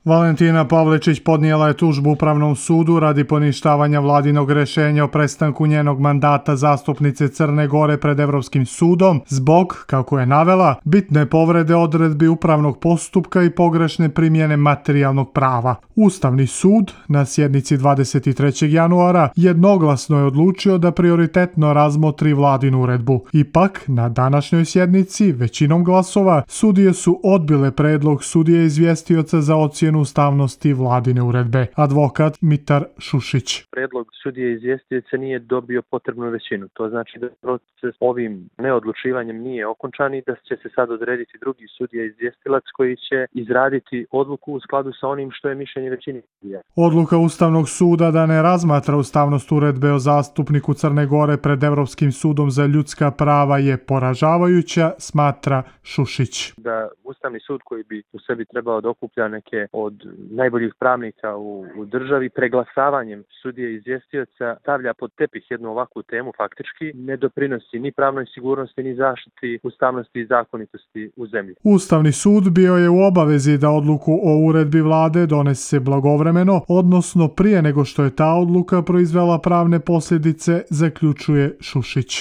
Valentina Pavličić podnijela je tužbu Upravnom sudu radi poništavanja vladinog rješenja o prestanku njenog mandata zastupnice Crne Gore pred Europskim sudom zbog, kako je navela, bitne povrede odredbi upravnog postupka i pogrešne primjene materijalnog prava. Ustavni sud na sjednici 23. januara jednoglasno je odlučio da prioritetno razmotri vladinu uredbu. Ipak, na današnjoj sjednici, većinom glasova, sudije su odbile predlog sudije izvjestioca za ocjenu ustavnosti vladine uredbe. Advokat Mitar Šušić. Predlog sudije izvjestioca nije dobio potrebnu većinu. To znači da proces ovim neodlučivanjem nije okončan i da će se sad odrediti drugi sudija izvjestilac koji će izraditi odluku u skladu sa onim što je mišljenje većine sudija. Odluka Ustavnog suda da ne razmatra ustavnost uredbe o zastupniku Crne Gore pred Europskim sudom za ljudska prava je poražavajuća, smatra Šušić. Da Ustavni sud koji bi u sebi trebao da okuplja neke od najboljih pravnika u državi preglasavanjem sudije izvjestioca stavlja pod tepih jednu ovakvu temu, faktički ne doprinosi ni pravnoj sigurnosti ni zaštiti ustavnosti i zakonitosti u zemlji. Ustavni sud bio je u obavezi da odluku o uredbi vlade donese blagovremeno, odnosno prije nego što je ta odluka proizvela pravne posljedice, zaključuje Šušić.